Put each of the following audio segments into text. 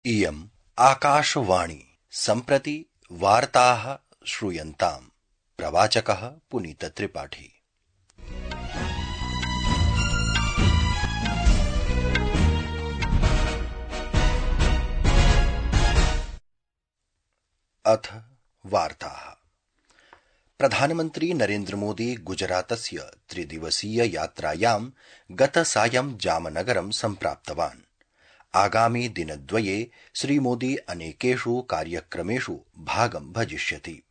इयम् आकाशवाणी सम्प्रति वार्ताः श्रूयन्ताम्। प्रवाचकः पुनीत त्रिपाठी। अथ वार्ताः। प्रधानमन्त्री नरेन्द्र मोदी गुजरातस्य त्रिदिवसीय यात्रायां गतसायं जामनगरं सम्प्राप्तवान्। आगामि दिनद्वये श्रीमोदी अनेकेषु कार्यक्रमेषु भागं भजिष्यति।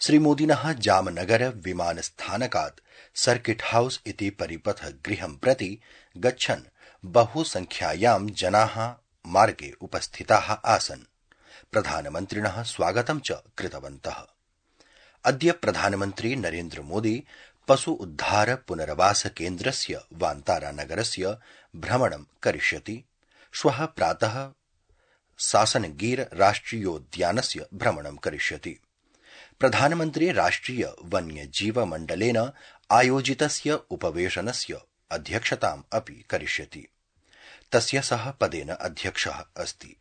श्रीमोदिनः जामनगर विमानस्थानकात् सर्किट हाउस इति परिपथगृहं प्रति गच्छन् बहुसंख्यायां जनाः मार्गे उपस्थिताः आसन्। प्रधानमन्त्रिणः स्वागतं च कृतवन्तः। अद्य प्रधानमन्त्री नरेन्द्र मोदी पशु उद्धार पुनर्वास केन्द्रस्य वान्तारा नगरस्य भ्रमणं करिष्यति। श्वः प्रातः सासनगीर राष्ट्रियोद्यानस्य भ्रमणं करिष्यति। प्रधानमन्त्री राष्ट्रिय वन्यजीव मण्डलेन आयोजितस्य उपवेशनस्य अध्यक्षताम् अपि करिष्यति। तस्य सः पदेन अध्यक्षः अस्ति।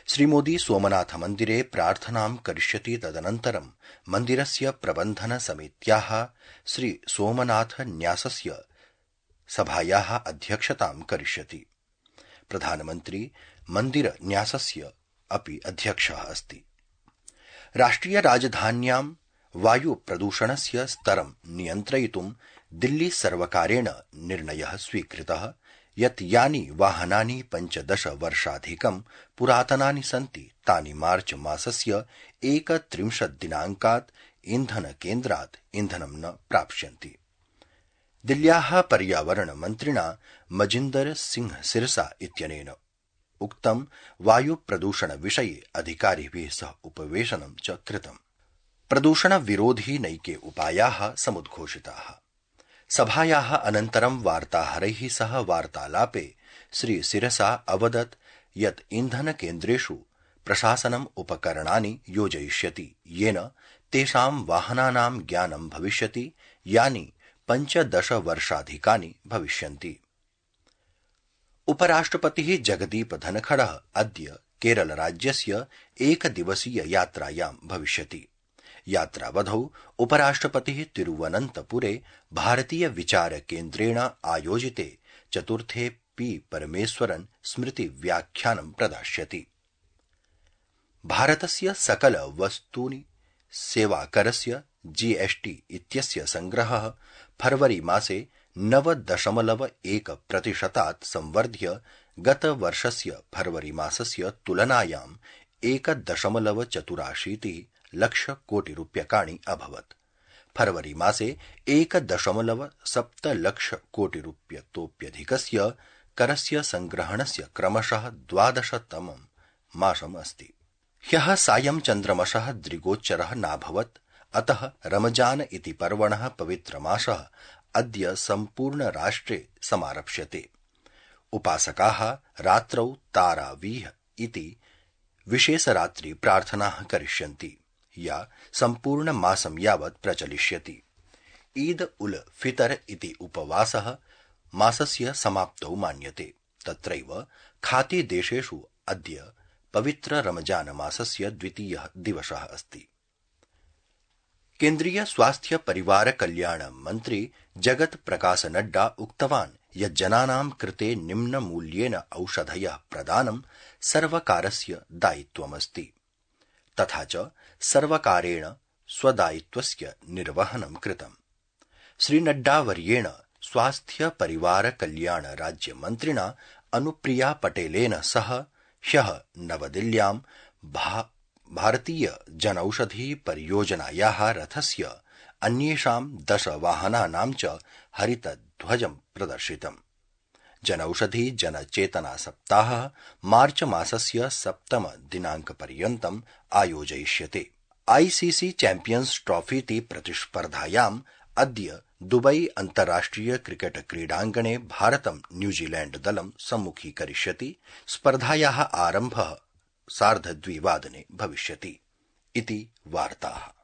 श्रीमोदी सोमनाथ मन्दिरे प्रार्थनां करिष्यति। तदनन्तरं मन्दिरस्य प्रबन्धन समित्याः श्री सोमनाथ न्यासस्य सभायाः अध्यक्षतां करिष्यति। प्रधानमन्त्री मन्दिर न्यासस्य अपि अध्यक्षः अस्ति। राष्ट्रिय राजधान्यां वायु प्रदूषणस्य स्तरं नियन्त्रयितुं दिल्ली सर्वकारेण निर्णयः स्वीकृतः यत् यानि वाहनानि 15 वर्षाधिकं पुरातनानि सन्ति तानि मार्च मासस्य 31 दिनाङ्कात् ईन्धनकेन्द्रात् ईन्धनं न प्राप्स्यन्ति। दिल्ल्याः पर्यावरण मन्त्रिणा मजिन्दर सिंह सिरसा इत्यनेन उक्तं वायु प्रदूषण विषये अधिकारिभिः सह उपवेशनं च कृतम्। प्रदूषण विरोधी नैके उपायाः समुद्घोषिताः। सभायाः अनन्तरं वार्ताहरैः सह वार्तालापे श्री सिरसा अवदत् यत् ईन्धनकेन्द्रेषु प्रशासनम् उपकरणानि योजयिष्यति येन तेषां वाहनानां ज्ञानं भविष्यति यानि 15 वर्षाधिकानि भविष्यन्ति। उपराष्ट्रपतिः जगदीप धनखडः अद्य केरलराज्यस्य एकदिवसीय यात्रायां भविष्यति। यात्रावधौ उपराष्ट्रपतिः तिरुवनन्तपुरे भारतीय विचार केन्द्रेण आयोजिते चतुर्थे पी परमेश्वरन् स्मृति व्याख्यानं प्रदास्यति। भारतस्य सकल वस्तूनि सेवाकरस्य जीएसटी इत्यस्य संग्रहः फरवरी मासे 9.1% संवर्ध्य गतवर्षस्य फरवरी मासस्य तुलनायां 1.84 लक्षकोटिरूप्यकाणि अभवत्। फरवरी मासे 1.7 लक्षकोटिरूप्यतोप्यधिकस्य करस्य संग्रहणस्य क्रमशः 12तमं मासम् अस्ति। ह्यः सायं चन्द्रमसः दृगोच्चरः नाभवत्। अतः रमजान इति पर्वणः पवित्रमासः अद्य सम्पूर्ण राष्ट्रे समारप्स्यते। उपासकाः रात्रौ तारावीह इति विशेषरात्रि प्रार्थनाः करिष्यन्ति या सम्पूर्ण मासं यावत् प्रचलिष्यति। ईद उल फितर इति उपवासः मासस्य समाप्तौ मान्यते। तत्रैव खाती देशेषु अद्य पवित्र रमजान मासस्य द्वितीयः दिवसः अस्ति। केन्द्रीय स्वास्थ्य परिवार कल्याण मन्त्री जगत प्रकाश नड्डा उक्तवान् यत् जनानां कृते निम्नमूल्येन औषधयः प्रदानं सर्वकारस्य दायित्वमस्ति। तथा च सर्वकारेण स्वदायित्वस्य निर्वहनं कृतम्। श्रीनड्डावर्येण स्वास्थ्य परिवार कल्याण राज्यमन्त्रिणा अनुप्रिया पटेलेन सह ह्यः नवदिल्ल्यां भारतीय जनौषधि परियोजनायाः रथस्य अन्येषां 10 वाहनानां च हरितध्वजं प्रदर्शितम्। जनौषधि जनचेतना सप्ताहः मार्च मासस्य 7 दिनाङ्कपर्यन्तम् आयोजयिष्यते। आईसीसी चैम्पियन्स ट्रॉफी इति प्रतिस्पर्धायाम् अद्य दुबई अन्ताराष्ट्रिय क्रिकेट क्रीडाङ्गणे भारतं न्यूजीलैण्ड दलं सम्मुखीकरिष्यति। स्पर्धायाः आरम्भः 2:30 भविष्यति इति वार्ताः।